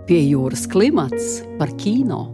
Pie jūras klimats par kino.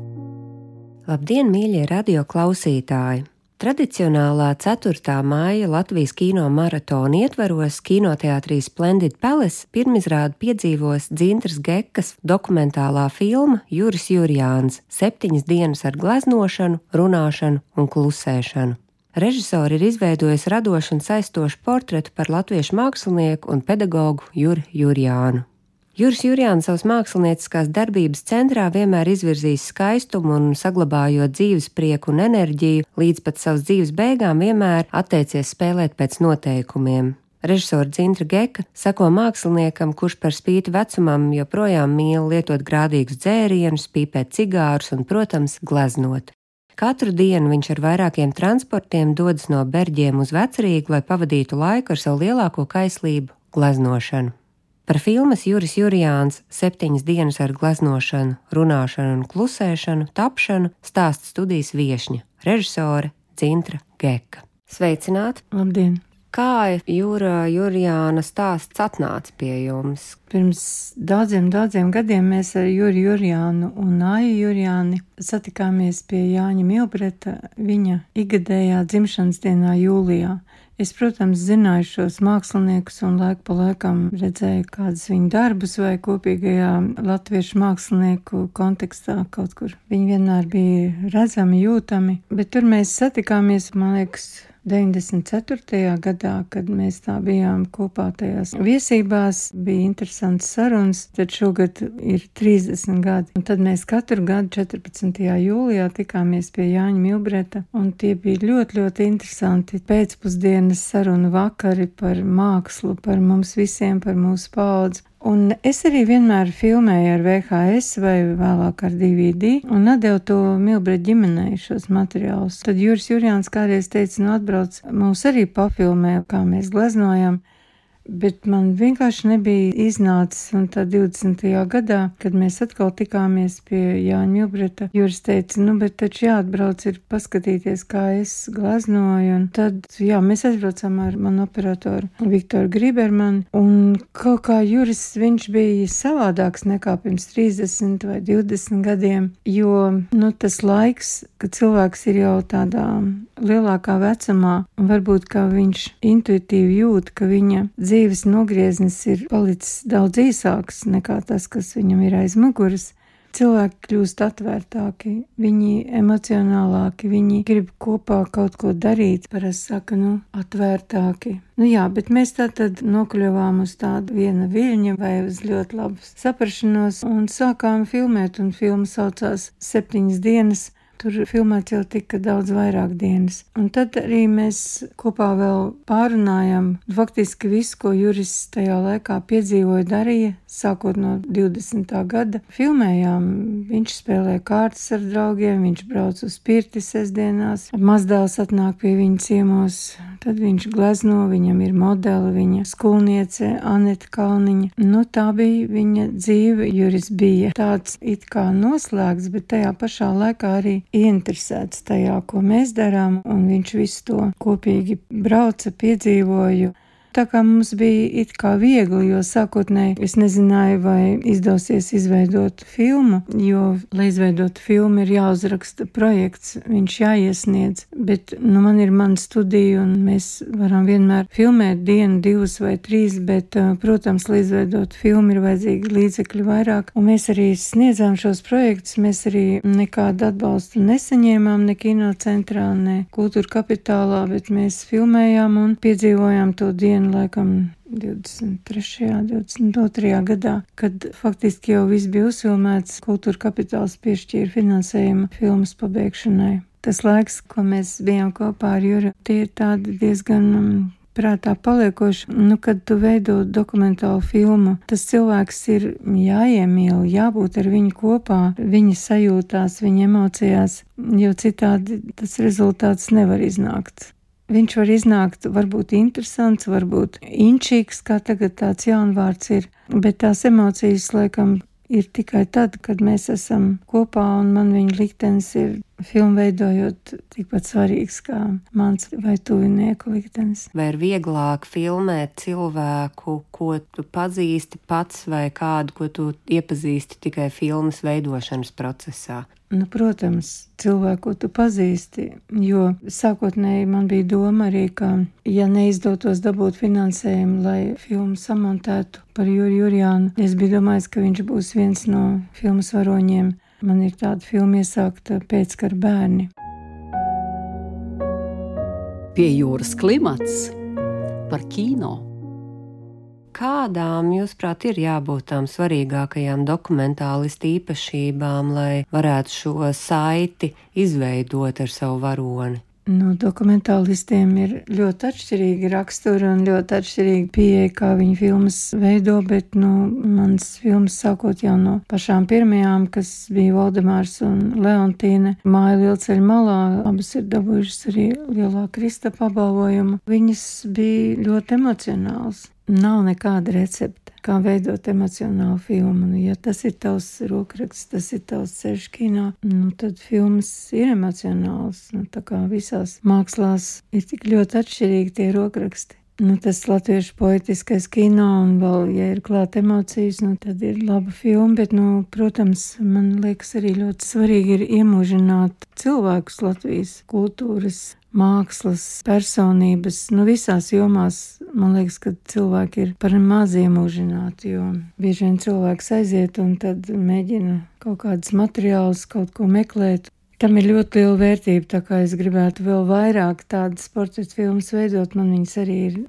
Labdien, mīļie radio klausītāji! Tradicionālā 4. maija Latvijas kino maratona ietvaros kinoteātrī Splendid Palace pirmizrādi piedzīvos Dzintras Gekas dokumentālā filma Juris Jurjāns – 7 dienas ar gleznošanu, runāšanu un klusēšanu. Režisori ir izveidojis radošu un saistošu portretu par latviešu mākslinieku un pedagogu Juri Jurjānu. Juris Jurjāns savas mākslinieckās darbības centrā vienmēr izvirzījis skaistumu un saglabājot dzīves prieku un enerģiju, līdz pat savas dzīves beigām vienmēr atteicies spēlēt pēc noteikumiem. Režisora Dzintra Geka sako māksliniekam, kurš par spīti vecumam joprojām mīl lietot grādīgus dzērienus, pīpēt cigārus un, protams, gleznot. Katru dienu viņš ar vairākiem transportiem dodas no Berģiem uz Vecrīgu, lai pavadītu laiku ar savu lielāko kaislību – gleznošanu. Par filmas Juris Jurjāns – 7 dienas ar gleznošanu, runāšanu un klusēšanu tapšanu stāsta studijas viešņa, režisore Dzintra Geka. Sveicināti! Labdien! Kā Jura Jurjāna stāsts atnāca pie jums? Pirms daudziem gadiem mēs ar Juri Jurjānu un Aiju Jurjāni satikāmies pie Jāņa Milbreta viņa ikgadējā dzimšanas dienā jūlijā. Es, protams, zināju šos māksliniekus un laiku pa laikam redzēju kādus viņu darbus vai kopīgajā latviešu mākslinieku kontekstā kaut kur. Viņi vienmēr bija redzami, jūtami, bet tur mēs satikāmies, man liekas, 94. gadā, kad mēs tā bijām kopā tajās viesībās, bija interesants sarunas, tad šogad ir 30 gadi. Un tad mēs katru gadu 14. jūlijā tikāmies pie Jāņa Milbreta, un tie bija ļoti interesanti pēcpusdienas sarunu vakari par mākslu, par mums visiem, par mūsu paudzi. Un es arī vienmēr filmēju ar VHS vai vēlāk ar DVD un atdevu to Milbreta ģimenei šos materiālus. Tad Juris Jurjāns kādreiz teica, atbrauc, mūs arī pafilmē, kā mēs gleznojam. Bet man vienkārši nebija iznācis, un tā 20. gadā, kad mēs atkal tikāmies pie Jāņa Milbreta, Juris teica, bet taču jāatbrauc ir paskatīties, kā es gleznoju, un tad, mēs aizbraucām ar manu operatoru Viktoru Gribermanu, un kaut kā Juris, viņš bija savādāks nekā pirms 30 vai 20 gadiem, jo, tas laiks, kad cilvēks ir jau tādā lielākā vecumā, un varbūt, ka viņš intuitīvi jūt, ka viņa dzīves nogrieznis ir palicis daudz īsāks nekā tas, kas viņam ir aiz muguras. Cilvēki kļūst atvērtāki, viņi emocionālāki, viņi grib kopā kaut ko darīt, parasti saka, atvērtāki. Bet mēs tātad nokļuvām uz tādu viena viļņa vai uz ļoti labu saprašanos un sākām filmēt, un filma saucās 7 dienas. Tur filmēts jau tika daudz vairāk dienas. Un tad arī mēs kopā vēl pārunājām faktiski visu, ko Juris tajā laikā piedzīvoja, darīja, sākot no 20. gada. Filmējām, viņš spēlē kārtas ar draugiem, viņš brauc uz pirti sestdienās, mazdēls atnāk pie viņa ciemos, tad viņš glezno, viņam ir modeli, viņa skolniece Aneta Kalniņa. Tā bija viņa dzīve. Juris bija tāds it kā noslēgts, bet tajā pašā laikā arī ieinteresēts tajā, ko mēs darām, un viņš visu to kopīgi brauca, piedzīvoju. Tā kā mums bija it kā viegli, jo sākotnēji es nezināju, vai izdosies izveidot filmu, jo, lai izveidotu filmu, ir jāuzraksta projekts, viņš jāiesniedz, bet, man ir mana studija, un mēs varam vienmēr filmēt 1, 2 vai 3, bet, protams, lai izveidot filmu, ir vajadzīgi līdzekļi vairāk, un mēs arī sniedzām šos projektus, mēs arī nekādu atbalstu nesaņēmām, ne kinocentrā, ne kultūra kapitālā, bet mēs filmējām un piedzīvojām to dienu, laikam 23. 22. gadā, kad faktiski jau viss bija uzfilmēts, kultūra kapitāls piešķīra finansējumu filmas pabeigšanai. Tas laiks, ko mēs bijām kopā ar Juri, tie ir tādi diezgan prātā paliekoši. Kad tu veido dokumentālu filmu, tas cilvēks ir jāiemīl, jābūt ar viņu kopā, viņa sajūtās, viņa emocijās, jo citādi tas rezultāts nevar iznākt. Viņš var iznākt varbūt interesants, varbūt inčīgs, kā tagad tāds jaunvārds ir, bet tās emocijas, laikam, ir tikai tad, kad mēs esam kopā, un man viņa liktenis ir filmu veidojot tikpat svarīgs kā mans vai tuvinieku liktenis. Vai ir vieglāk filmēt cilvēku, ko tu pazīsti pats, vai kādu, ko tu iepazīsti tikai filmas veidošanas procesā? Protams, cilvēku, ko tu pazīsti, jo sākotnēji man bija doma arī, ka, ja neizdotos dabūt finansējumu, lai filmu samontētu par Juri Jurjānu, es biju domājis, ka viņš būs viens no filmas varoņiem. Man ir tāda filma iesākta Pēckara bērni. Pie jūras klimats par kino. Kādām, jūsuprāt, ir jābūt tām svarīgākajām dokumentālistu īpašībām, lai varētu šo saiti izveidot ar savu varoni? Dokumentālistiem ir ļoti atšķirīgi raksturi un ļoti atšķirīgi pieeja, kā viņi filmas veido, bet, mans filmas sākot jau no pašām pirmajām, kas bija Valdemārs un Leontīne, Māja Lielceļa malā, abas ir dabūjušas arī lielā Kristapa apbalvojumu. Viņas bija ļoti emocionāls. Nav nekāda recepte, kā veidot emocionālu filmu. Ja tas ir tavs rokraksts, tas ir tavs ceļš kinā, tad filmas ir emocionāls. Tā kā visās mākslās ir tik ļoti atšķirīgi tie rokraksti. Tas latviešu poetiskais kino un vēl, ja ir klāt emocijas, tad ir laba filma, bet, protams, man liekas arī ļoti svarīgi ir iemūžināt cilvēkus Latvijas kultūras, mākslas, personības, visās jomās. Man liekas, ka cilvēki ir par maz iemūžināti, jo bieži vien cilvēks aiziet un tad mēģina kaut kādus materiālus, kaut ko meklēt. Tam ir ļoti liela vērtība, tā kā es gribētu vēl vairāk tādas portretu filmas veidot, man viņas arī ir,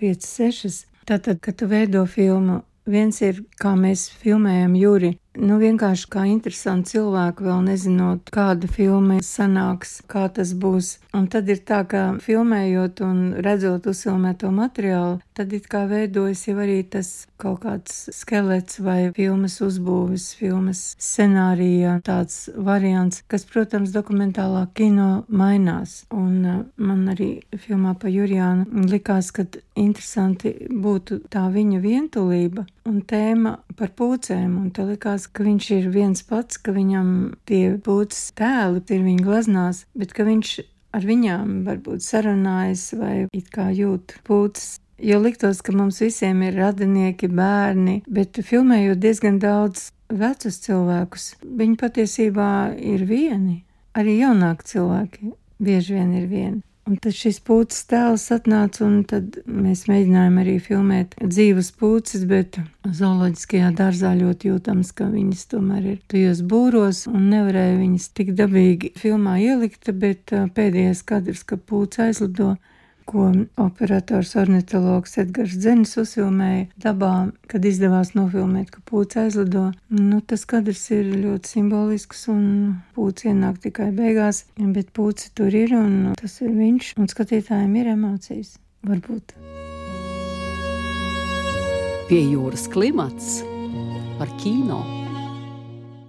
5, 6. Tātad, kad tu veido filmu, viens ir, kā mēs filmējam Juri, vienkārši kā interesanti cilvēki, vēl nezinot, kāda filma sanāks, kā tas būs. Un tad ir tā, ka filmējot un redzot uzfilmēto materiālu, tad it kā veidojas jau arī tas kaut kāds skelets vai filmas uzbūves, filmas scenārija, tāds variants, kas, protams, dokumentālā kino mainās. Un man arī filmā pa Jurjānu likās, ka interesanti būtu tā viņa vientulība un tēma par pūcēm, un te likās, ka viņš ir viens pats, ka viņam tie pūces tēli ir viņa glaznās, bet ka viņš ar viņām varbūt sarunājas vai it kā jūt pūces. Jo liktos, ka mums visiem ir radinieki, bērni, bet filmējot diezgan daudz vecus cilvēkus, viņi patiesībā ir vieni. Arī jaunāki cilvēki bieži vien ir vieni. Un tad šis pūces tēls atnāca, un tad mēs mēģinājām arī filmēt dzīvas pūces, bet zooloģiskajā dārzā ļoti jūtams, ka viņas tomēr ir tajos būros, un nevarēja viņas tik dabīgi filmā ielikt, bet pēdējais kadrs, ka pūce aizlido, ko operators ornitologs Edgars Dzenis uzfilmēja dabā, kad izdevās nofilmēt, ka pūce aizlido. Tas kadrs ir ļoti simbolisks un pūce ienāk tikai beigās, bet pūce tur ir un tas ir viņš, un skatītājiem ir emocijas, varbūt. Pie jūras klimats par kino.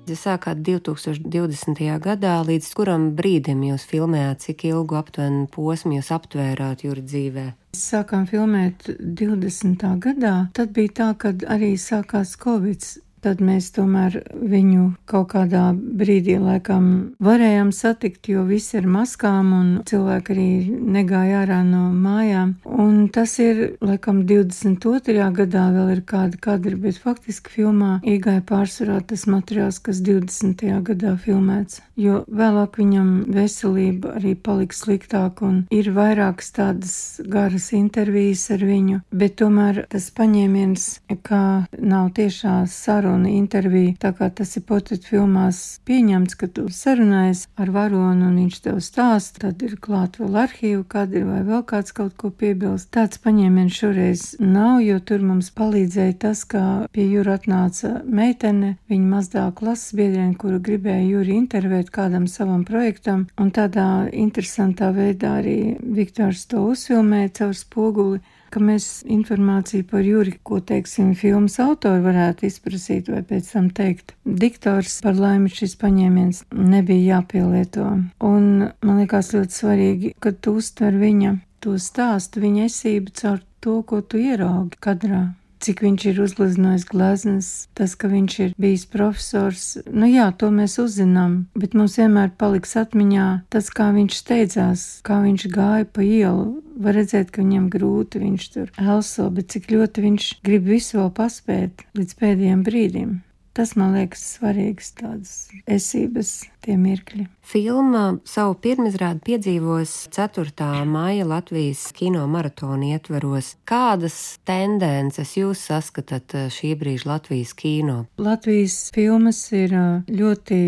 Jūs sākāt 2020. gadā, līdz kuram brīdim jūs filmējāt, cik ilgu aptuveni posmu jūs aptvērāt Juri dzīvē? Sākām filmēt 20. gadā, tad bija tā, kad arī sākās Covid. Tad mēs tomēr viņu kaut kādā brīdī laikam varējām satikt, jo visi ar maskām un cilvēki arī negāja ārā no mājām. Un tas ir, laikam, 22. gadā vēl ir kādi kadri, bet faktiski filmā iegāja pārsvarā tas materiāls, kas 20. gadā filmēts. Jo vēlāk viņam veselība arī palika sliktāk un ir vairākas tādas garas intervijas ar viņu, bet tomēr tas paņēmiens, kā nav tiešā saruna intervija, tā kā tas ir portretu filmās pieņemts, ka tu sarunājies ar varonu un viņš tev stāst, tad ir klāt vēl arhīvu kadri vai vēl kāds kaut ko piebilst. Tāds paņēmiens šoreiz nav, jo tur mums palīdzēja tas, ka pie Jura atnāca meitene, viņa mazdā klases biedriene, kuru gribēja Juri intervēt kādam savam projektam, un tādā interesantā veidā arī Viktors to uzfilmēja caur spoguli, ka mēs informāciju par Juri, ko, teiksim, filmas autori varētu izprasīt vai pēc tam teikt. Diktors, par laimi, šis paņēmiens nebija jāpielieto. Un man liekas ļoti svarīgi, ka tu uztver viņa to stāstu, viņa esību caur to, ko tu ieraugi kadrā. cik viņš ir uzgleznojis gleznas, tas, ka viņš ir bijis profesors. Nu jā, to mēs uzzinām, bet mums vienmēr paliks atmiņā tas, kā viņš steidzās, kā viņš gāja pa ielu. Var redzēt, ka viņam grūti, viņš tur elso, bet cik ļoti viņš grib visu vēl paspēt līdz pēdējiem brīdim. Tas, man liekas, svarīgs tādas esības tie mirkļi. Filma savu pirmizrādi piedzīvos 4. maija Latvijas kino maratona ietveros. Kādas tendences jūs saskatāt šī brīža Latvijas kino? Latvijas filmas ir ļoti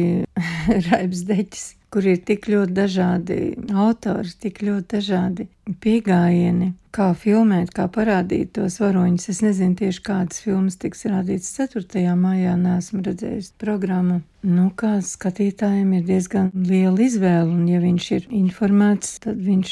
raibs deķis, kur ir tik ļoti dažādi autori, tik ļoti dažādi pieejami, kā filmēt, kā parādīt tos varoņus. Es nezinu tieši kādas filmas tiks rādītas 4. maijā, neesmu redzējis programmu. Nu, kā skatītājiem ir diezgan liela izvēle, un ja viņš ir informēts, tad viņš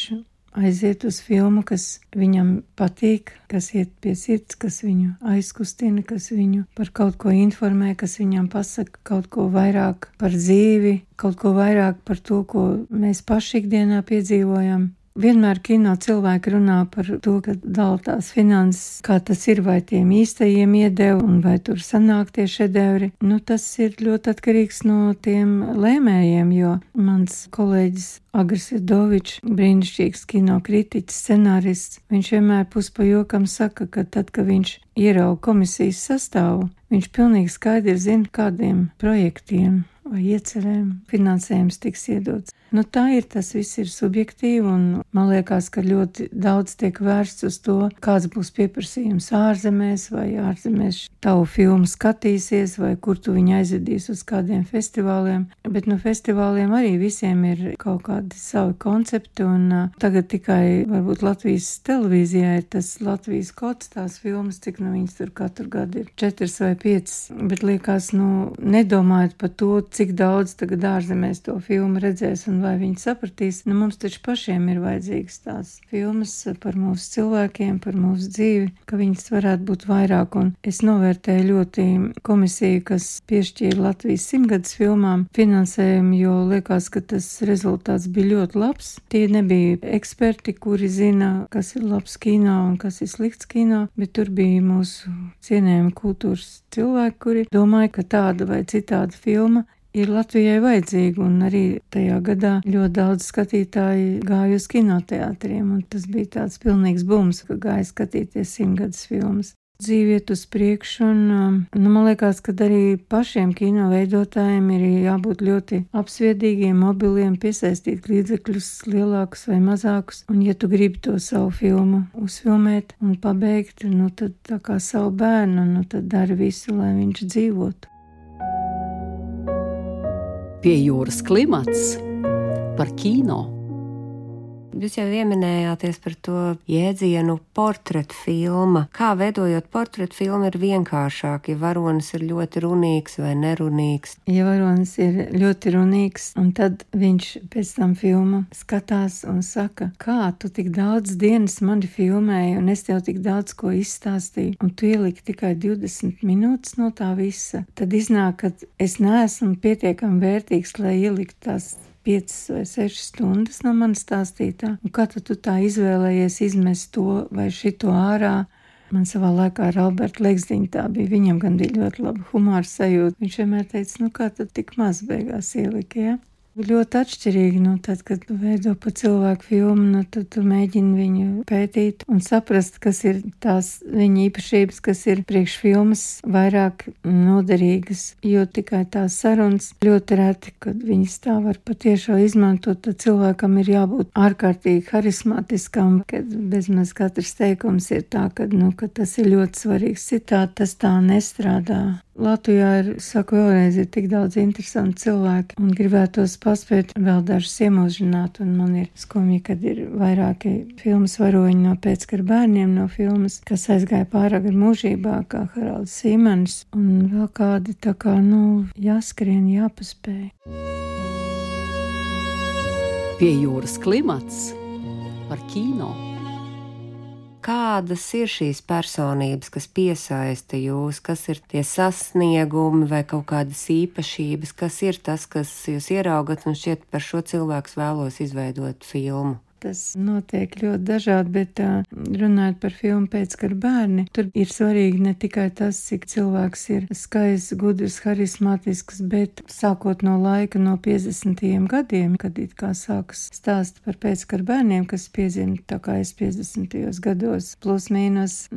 aiziet uz filmu, kas viņam patīk, kas iet pie sirds, kas viņu aizkustina, kas viņu par kaut ko informē, kas viņam pasaka kaut ko vairāk par dzīvi, kaut ko vairāk par to, ko mēs paši ikdienā piedzīvojam. Vienmēr kino cilvēki runā par to, ka dala tās finanses, kā tas ir, vai tiem īstajiem iedeva un vai tur sanāk tie šedevri. Nu, tas ir ļoti atkarīgs no tiem lēmējiem, jo mans kolēģis Agris Dovičs, brīnišķīgs kino kritiķis, scenārists, viņš vienmēr pa jokam saka, ka tad, kad viņš ierauga komisijas sastāvu, viņš pilnīgi skaidri zina, kādiem projektiem vai iecerēm finansējums tiks iedots. Nu, tā ir, tas viss ir subjektīvi, un man liekas, ka ļoti daudz tiek vērsts uz to, kāds būs pieprasījums ārzemēs, vai ārzemēs tavu filmu skatīsies, vai kur tu viņu aizvedīs uz kādiem festivāliem. Bet no festivāliem arī visiem ir kaut kādi savi koncepti, un tagad tikai varbūt Latvijas televīzijā ir tas Latvijas kods, tās filmas, cik nu viņas tur katru gadu ir 4 vai 5, bet liekas, nedomājot par to, cik daudz tagad ārzemēs to filmu redzēs un vai viņi sapratīs. Mums taču pašiem ir vajadzīgas tās filmas par mūsu cilvēkiem, par mūsu dzīvi, ka viņas varētu būt vairāk. Un es novērtēju ļoti komisiju, kas piešķīra Latvijas 100-gadus filmām finansējumu, jo liekas, ka tas rezultāts bija ļoti labs. Tie nebija eksperti, kuri zina, kas ir labs kino un kas ir slikts kino, bet tur bija mūsu cienējami kultūras cilvēki, kuri domāja, ka tāda vai citāda filma ir Latvijai vajadzīga, un arī tajā gadā ļoti daudz skatītāji gāja uz kinoteātriem, un tas bija tāds pilnīgs bums, ka gāja skatīties 100-gadus filmas. Dzīve iet uz priekšu, un man liekas, ka arī pašiem kino veidotājiem ir jābūt ļoti apsviedīgiem, mobiliem, piesaistīt līdzekļus lielākus vai mazākus, un ja tu gribi to savu filmu uzfilmēt un pabeigt, tad tā kā savu bērnu, tad dari visu, lai viņš dzīvotu. Pie jūras klimats par kino. Jūs jau pieminējāties par to jēdzienu portretu filma. Kā veidojot portretu filmu ir vienkāršāk, ja varonis ir ļoti runīgs vai nerunīgs? Ja varonis ir ļoti runīgs, un tad viņš pēc tam filmu skatās un saka, kā tu tik daudz dienas mani filmēji, un es tev tik daudz ko izstāstīju, un tu ieliki tikai 20 minūtes no tā visa, tad iznāk, ka es neesmu pietiekami vērtīgs, lai ieliktu tās 5 vai 6 stundas no manas stāstītā. Un kā tu tā izvēlējies izmest to vai šito ārā? Man savā laikā ar Albertu Legzdiņu tā bija. Viņam gan bija ļoti laba humora sajūta. Viņš vienmēr teica, kā tad tik maz beigās ielika, ja? Ļoti atšķirīgi, tad, kad tu veido pa cilvēku filmu, tad tu mēģini viņu pētīt un saprast, kas ir tās viņa īpašības, kas ir priekš filmas vairāk noderīgas, jo tikai tās sarunas ļoti reti, kad viņas tā var patiešām izmantot, tad cilvēkam ir jābūt ārkārtīgi harismatiskam, kad bezmaz katrs teikums ir tā, ka tas ir ļoti svarīgs citāts, tas tā nestrādā. Latvijā ir, saku vēlreiz, ir tik daudz interesanti cilvēki un gribētos paspēt vēl dažus iemūžināt, un man ir skumji, kad ir vairāki filmas varoņi no pēckara bērniem no filmas, kas aizgāja pārāk ar mūžībā, kā Haralds Sīmanis, un vēl kādi tā kā, jāskrien, jāpaspēj. Pie jūras klimats par kino. Kādas ir šīs personības, kas piesaista jūs, kas ir tie sasniegumi vai kaut kādas īpašības, kas ir tas, kas jūs ieraugat un šķiet par šo cilvēku vēlos izveidot filmu? tas notiek ļoti dažādi, bet runājot par filmu Pēckara bērni, tur ir svarīgi ne tikai tas, cik cilvēks ir skaists, gudrs, harismātisks, bet sākot no laika no 50. gadiem, kad it kā sākas stāst par Pēckara bērniem, kas piedzima tā kā es 50. gados, plus mīnus,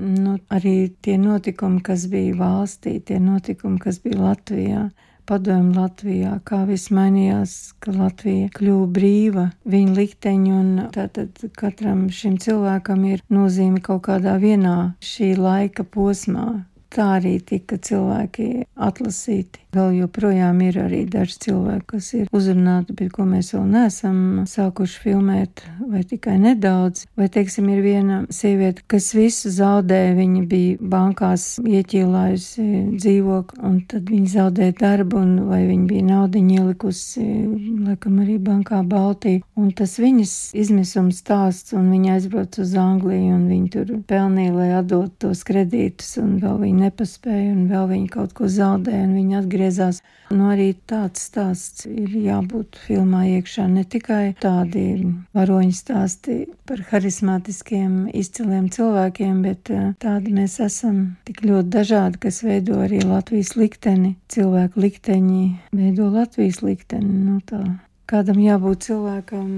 arī tie notikumi, kas bija valstī, tie notikumi, kas bija Latvijā, padomju Latvijā, kā viss mainījās, ka Latvija kļuva brīva, viņa likteņi, un tātad katram šim cilvēkam ir nozīme kaut kādā vienā šī laika posmā. Tā arī tika cilvēki atlasīti. Vēl joprojām ir arī daži cilvēki, kas ir uzrunāti, bet ko mēs vēl neesam sākuši filmēt, vai tikai nedaudz. Vai, teiksim, ir viena sieviete, kas visu zaudēja, viņa bija bankās ieķīlājusi dzīvokli, un tad viņa zaudēja darbu, un vai viņa bija naudiņu ielikusi, laikam arī bankā Baltī. Un tas viņas izmisums stāsts, un viņa aizbrauc uz Angliju, un viņa tur pelnīja, lai atdot tos kredītus, un vēl viņa nepaspēja, un vēl viņa kaut ko zaudēja, un viņa atgriezās. Arī tāds stāsts ir jābūt filmā iekšā, ne tikai tādi varoņu stāsti par harismātiskiem, izciliem cilvēkiem, bet tādi mēs esam tik ļoti dažādi, kas veido arī Latvijas likteni. Cilvēku likteņi veido Latvijas likteni. Tā. Kādam jābūt cilvēkam,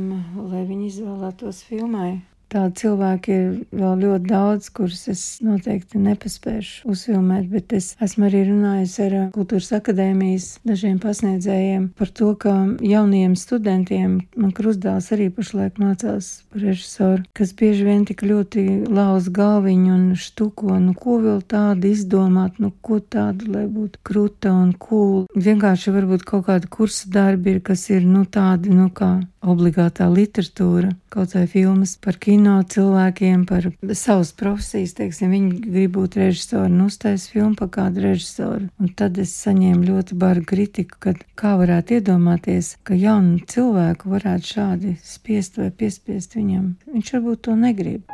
lai viņi izvēlētos filmai. Tādi cilvēki ir vēl ļoti daudz, kurus es noteikti nepaspēšu uzfilmēt, bet es esmu arī runājusi ar Kultūras akadēmijas dažiem pasniedzējiem par to, ka jaunajiem studentiem, man Krustdāls arī pašlaik mācās par režisoru, kas bieži vien tik ļoti lauz galviņu un štuko, ko vēl tādu izdomāt, ko tādu, lai būtu kruta un cool. Vienkārši varbūt kaut kāda kursa darbi ir, kas ir, tādi, kā obligātā literatūra, kaut vai filmas par kino cilvēkiem, par savas profesijas, teiksim, viņi grib būt režisori un uztais filmu par kādu režisoru. Un tad es saņēmu ļoti bargu kritiku, kad kā varētu iedomāties, ka jaunu cilvēku varētu šādi spiest vai piespiest viņam. Viņš varbūt to negrib.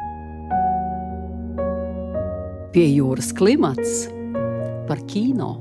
Pie jūras klimats par kino.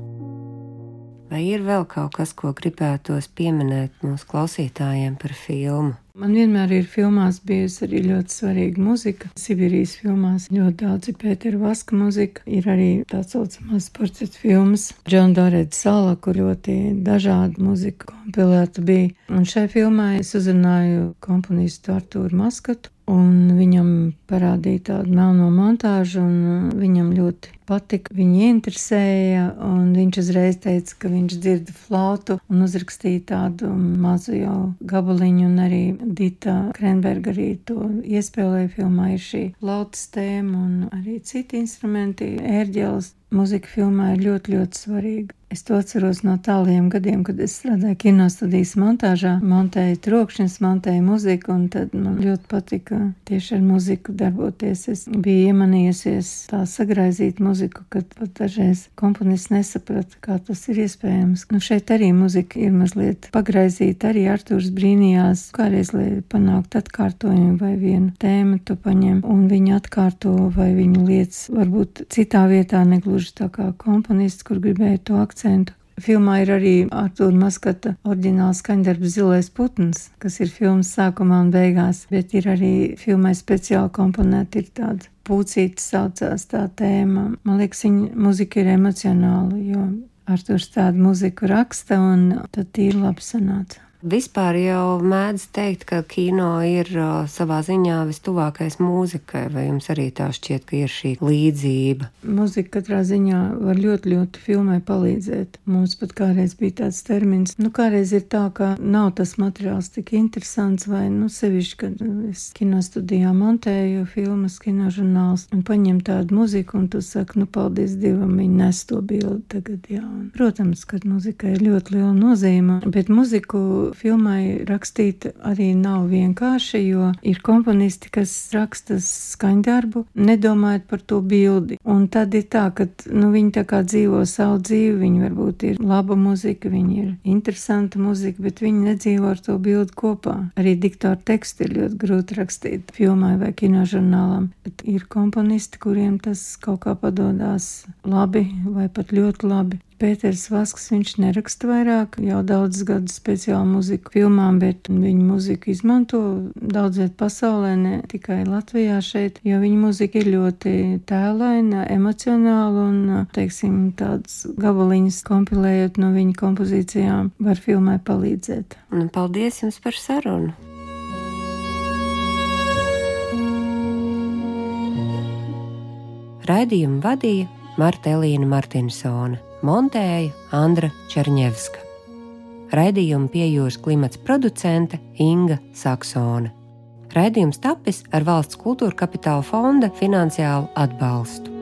Vai ir vēl kaut kas, ko gribētos pieminēt mūsu klausītājiem par filmu? Man vienmēr ir filmās bijusi arī ļoti svarīga muzika. Sibīrijas filmās ļoti daudz ir Pētera Vaska muzika. Ir arī tā saucamās portretu filmas Džona Dorēta Sala, kur ļoti dažāda muzika kompilēta bija. Un šai filmai es uzrunāju komponistu Artūru Maskatu, un viņam parādīja tādu melno montāžu, un viņam ļoti patika, viņu interesēja, un viņš uzreiz teica, ka viņš dzird flautu un uzrakstīja tādu mazu jau gabaliņu, un arī Dita Krenberga arī to iespēlēja filmā, ir šī flautas tēma un arī citi instrumenti, ērģeles. Muzika filmā ir ļoti, ļoti svarīga. Es to atceros no tālajiem gadiem, kad es strādāju kinostudijas montāžā, montēju trokšņus, montēju muziku, un tad man ļoti patika tieši ar muziku darboties. Es biju iemanījusies tā sagraizīt muziku, kad pat dažreiz komponists nesaprata, kā tas ir iespējams. Šeit arī muzika ir mazliet pagraizīta, arī Artūrs brīnījās, kādreiz, lai panākt atkārtojumu vai vienu tēmu tu paņem, un viņi atkārto vai viņu lietas varbūt citā vietā negluži tā kā komponists, kur gribēja to akcentu. Filmā ir arī Artūra Maskata oriģināls skaņdarbs Zilais putns, kas ir filmas sākumā un beigās, bet ir arī filmai speciāli komponēta, ir tāda Pūcīte saucās tā tēma. Man liekas, viņa muzika ir emocionāla, jo Artūrs tādu muziku raksta, un tad tīri labi sanāca. Vispār jau mēdz teikt, ka kino ir savā ziņā vistuvākais mūzikai, vai jums arī tā šķiet, ka ir šī līdzība? Mūzika katrā ziņā var ļoti, ļoti filmai palīdzēt. Mums pat kādreiz bija tāds termins, kādreiz ir tā, ka nav tas materiāls tik interesants, vai sevišķi, kad es kinostudijā montēju filmas, kinožurnāls, un paņem tādu muziku, un tu saki, paldies Dievam, viņi nes to bildi tagad, jā. Un, protams, ka mūzikai ir ļoti liela nozīme, bet muziku filmai rakstīt arī nav vienkārši, jo ir komponisti, kas raksta skaņdarbu, nedomājot par to bildi. Un tad ir tā, ka viņi tā kā dzīvo savu dzīvi, viņi varbūt ir laba muzika, viņi ir interesanta muzika, bet viņi nedzīvo ar to bildi kopā. Arī diktoru tekstu ir ļoti grūti rakstīt filmai vai kinožurnālam. Bet ir komponisti, kuriem tas kaut kā padodās labi vai pat ļoti labi. Pēters Vasks, viņš neraksta vairāk jau daudzus gadus speciālu muziku filmām, bet viņa muziku izmanto daudz viet pasaulē, ne tikai Latvijā šeit, jo viņa muzika ir ļoti tēlaina, emocionāla un, teiksim, tādas gabaliņas kompilējot no viņa kompozīcijām var filmai palīdzēt. Un paldies jums par sarunu! Raidījumu vadīja Marta Elīna Martinsone, montēja Andra Čerņevska. Raidījumu Pie jūras klimats producente Inga Saksone. Raidījums tapis ar Valsts kultūra kapitāla fonda finansiālu atbalstu.